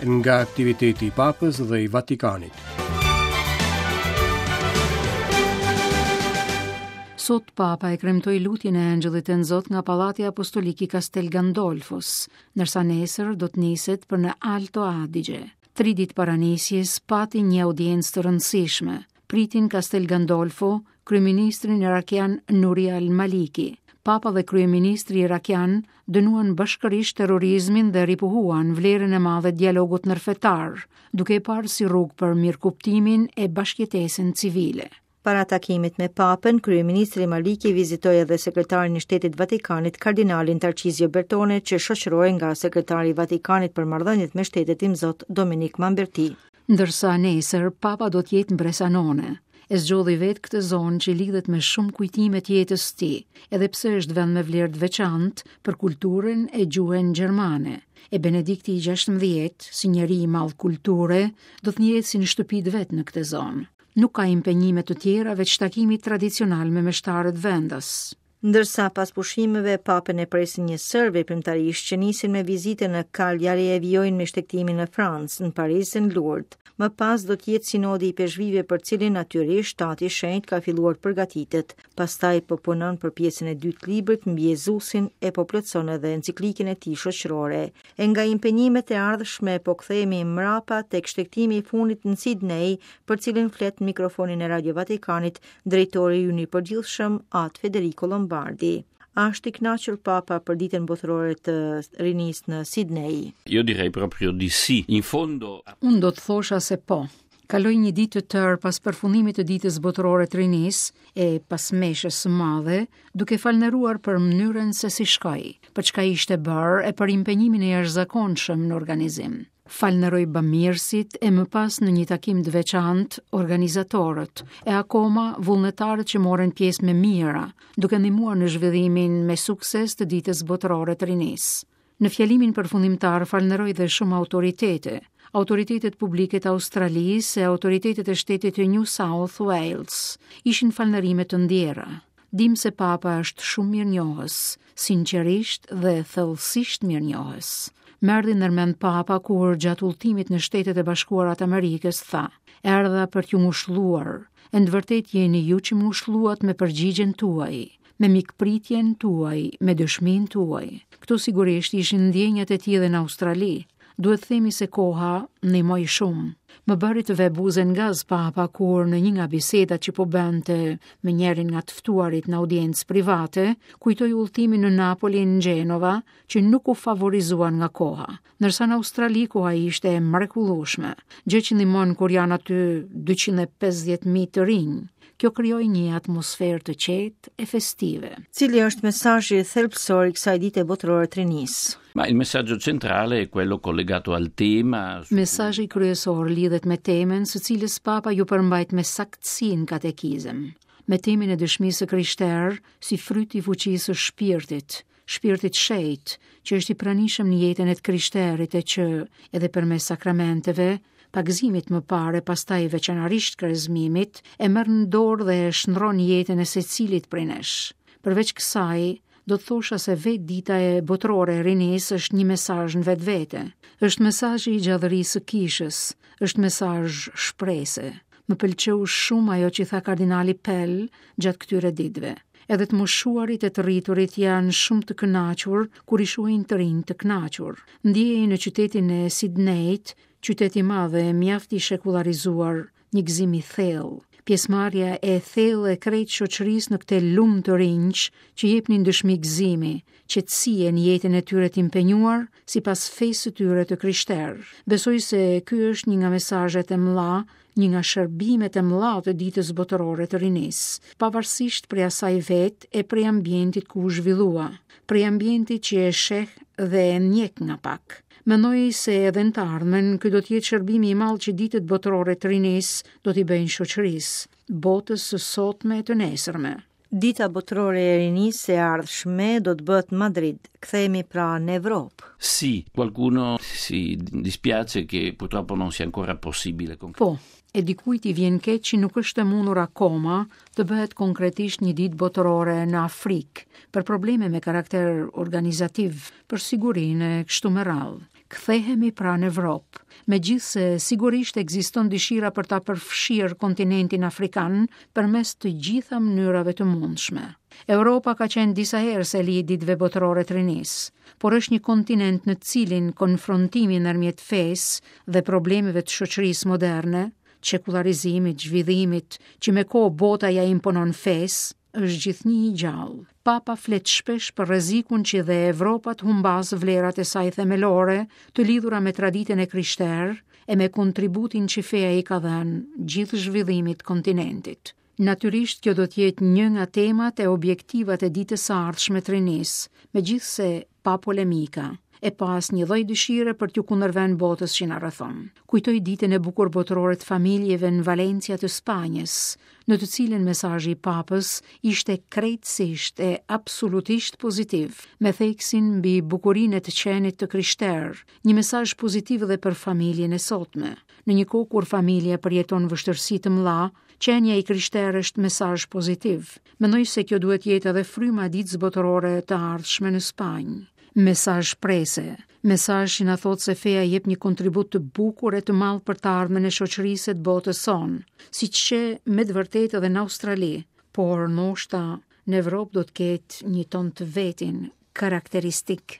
Nga aktiviteti i Papës dhe i Vatikanit. Sot Papa e kremtoi lutjen e Engjëllit Tënzot nga Pallati Apostolik i Castel Gandolfos, ndërsa nesër do të niset për në Alto Adige. Tri ditë para nisjes pati një audiencë të rëndësishme. Priti në Castel Gandolfo kryeministrin irakian Nuri al-Maliki. Papa dhe kryeministri irakian dënuan bashkërisht terrorizmin dhe ripohuan vlerën e madhe të dialogut ndërfetar, duke e parë si rrugë për mirëkuptimin e bashkëjetesën civile. Para takimit me Papën, kryeministri Maliki vizitoi edhe sekretarin e Shtetit Vatikanit, kardinalin Tarcizio Bertone, që shoqërohej nga sekretari i Vatikanit për marrëdhëniet me shtetet Imzot Dominik Mamberti. Ndërsa nesër Papa do të jetë në Bresanone. E zgjodhi vetë këtë zonë që lidhet me shumë kujtime të jetës së tij, edhe pse është vend me vlerë të veçantë për kulturën e gjuhën gjermane. E Benedikti i 16, si njeri i madh kulture, do të ndihet si në shtëpi të vet në këtë zonë. Nuk ka impenjime të tjera veç takimit tradicional me meshtarët vendas. Ndërsa pas pushimeve, Papën e presin një sërë veprimtarish që nisin me vizitën në Cagliari e vijojnë me shtegtimin në Francë, në Paris e në Lourdes. Më pas do të jetë sinodi i ipeshkvijve për cilin natyrisht Ati i Shenjtë ka filluar të përgatitet. Pastaj po punon për pjesën e dytë të librit mbi Jezusin e po plotëson edhe enciklikën e tij shoqërore. E nga impenjimet e ardhshme po kthehemi mrapa tek shtegtimi i fundit në Sidney, për cilin flet në mikrofonin e Radio Vatikanit drejtori ynë i përgjithshëm At Federico Lombardi. A është i kënaqur Papa për ditën botërore të rinisë në Sidney? Io direi proprio di sì. In fondo Unë do të thosha se po. Kaloi një ditë të tërë pas përfundimit të Ditës Botërore të Rinisë e pas meshës së madhe, duke falënderuar për mënyrën se si shkoi, për çka ishte bërë e për impenjimin e jashtëzakonshëm në organizim. Falënderoj bamirësit e më pas në një takim të veçantë organizatorët e akoma vullnetarët që morën pjesë me mijëra, duke ndihmuar në zhvillimin me sukses të Ditës Botërore të Rinisë. Në fjalimin përfundimtar falënderoj dhe shumë autoritete, autoritetet publike të Australisë e autoritetet e shtetit të New South Wales. Ishin falënderime të ndjera. Dimë se Papa është shumë mirënjohës, sinqerisht dhe thellësisht mirënjohës. Më erdhi ndërmend Papa kur gjatë udhëtimit në Shtetet e Bashkuara të Amerikës tha: "Erdha për t'ju ngushëlluar, e në të vërtetë jeni ju që më ngushëlluat me përgjigjen tuaj. me mikpritjen tuaj, me dëshminë tuaj. Këto sigurisht ishin ndjenjat e tij edhe në Australi. Duhet të themi se koha ndihmoi shumë. Më bëri të ve buzën në gaz papa kur në një nga bisedat që po bënte me njërin nga të ftuarit në audiencë private, kujtoi udhëtimin në Napoli në Gjenova që nuk u favorizuan nga koha. Ndërsa në Australi koha ishte e mrekullueshme, gjë që ndihmon kur janë aty 250.000 të rinj. Kjo krijoi një atmosferë të qetë e festive. Cili është mesazhi thelbësor i kësaj dite botërore të rinisë? Ma il messaggio centrale è quello collegato al tema. Mesazhi kryesor lidhet me temën së cilës Papa iu përmbajt me saktësi në katekizëm, me temën e dëshmisë së krishterë si fryt i fuqisë së shpirtit, Shpirtit Shenjt, që është i pranishëm në jetën e të krishterit e që, edhe përmes sakramenteve, pagëzimit më parë e pastaj veçanërisht krezmimit, e merr në dorë dhe e shndërron jetën e secilit prej nesh. Përveç kësaj, do të thosha se vetë dita e botërore e rinisë është një mesazh në vetvete. Është mesazhi i gjallërisë së kishës, është mesazh shprese. Më pëlqeu shumë ajo që tha kardinali Pell gjatë këtyre ditëve. Edhe të moshuarit e të rriturit janë shumë të kënaqur kur i shohin të rinj të kënaqur. Ndiej në qytetin e Sidnejt, qytet i madh e mjaft i shekullarizuar, një gëzim i thellë. Pjesëmarrja e thellë e krejt shoqërisë në këtë lumë të rinjsh që jepnin dëshmi gëzimi, qetësie në jetën e tyre të impenjuar sipas fesë së tyre të krishterë. Besoj se ky është një nga mesazhet e mëdha një nga shërbimet e mëdha të Ditës Botërore të Rinisë, pavarësisht prej asaj vetë e prej ambientit ku u zhvillua, prej ambientit që e sheh dhe e ndjek nga pak. Mendoj se edhe në të ardhmen ky do të jetë shërbimi i madh që Ditët Botërore të Rinisë do t'i bëjnë shoqërisë, botës së sotme e të nesërme. Dita Botërore e Rinisë e ardhshme do të bëhet në Madrid. Kthehemi pra në Evropë. Sì, qualcuno si dispiace che purtroppo non sia ancora possibile. Po, e dikujt i vjen keq që nuk është e mundur akoma të bëhet konkretisht një ditë botërore në Afrikë, për probleme me karakter organizativ, për sigurinë e kështu me radhë. Kthehemi pra në Evropë, megjithëse sigurisht ekziston dëshira për ta përfshirë kontinentin afrikan përmes të gjitha mënyrave të mundshme. Europa ka qenë disa herë seli e ditëve botërore të rinisë, por është një kontinent në të cilin konfrontimi ndërmjet fesë dhe problemeve të shoqërisë moderne, çekullarizimit, zhvillimit, që me kohë bota ia imponon fesë, është gjithnjë i gjallë. Papa flet shpesh për rrezikun që dhe Evropa të humbasë vlerat e saj themelore, të lidhura me traditën e krishterë e me kontributin që feja i ka dhënë gjithë zhvillimit të kontinentit. Natyrisht kjo do të jetë një nga temat e objektivat e ditës së ardhshme të rinisë, megjithëse pa polemika, e pa asnjë lloj dëshire për t'iu kundërvënë botës që na rrethon. Kujtoj ditën e bukur botërore të familjeve në Valencia të Spanjës, në të cilën mesazhi i Papës ishte krejtësisht e absolutisht pozitiv, me theksin mbi bukurinë e të qenit të krishterë, një mesazh pozitiv edhe për familjen e sotme. Në një kohë kur familja përjeton vështirësi të mëdha, qenia i krishterë është mesazh pozitiv. Mendoj se kjo duhet të jetë edhe fryma e ditës botërore të ardhshme në Spanjë. Mesazh shprese, mesazh që na thotë se feja jep një kontribut të bukur e të madh për të ardhmen e shoqërisë e të botës sonë, siç qe me të vërtetë edhe në Australi, por ndoshta në Evropë do të ketë një ton të vetin karakteristik.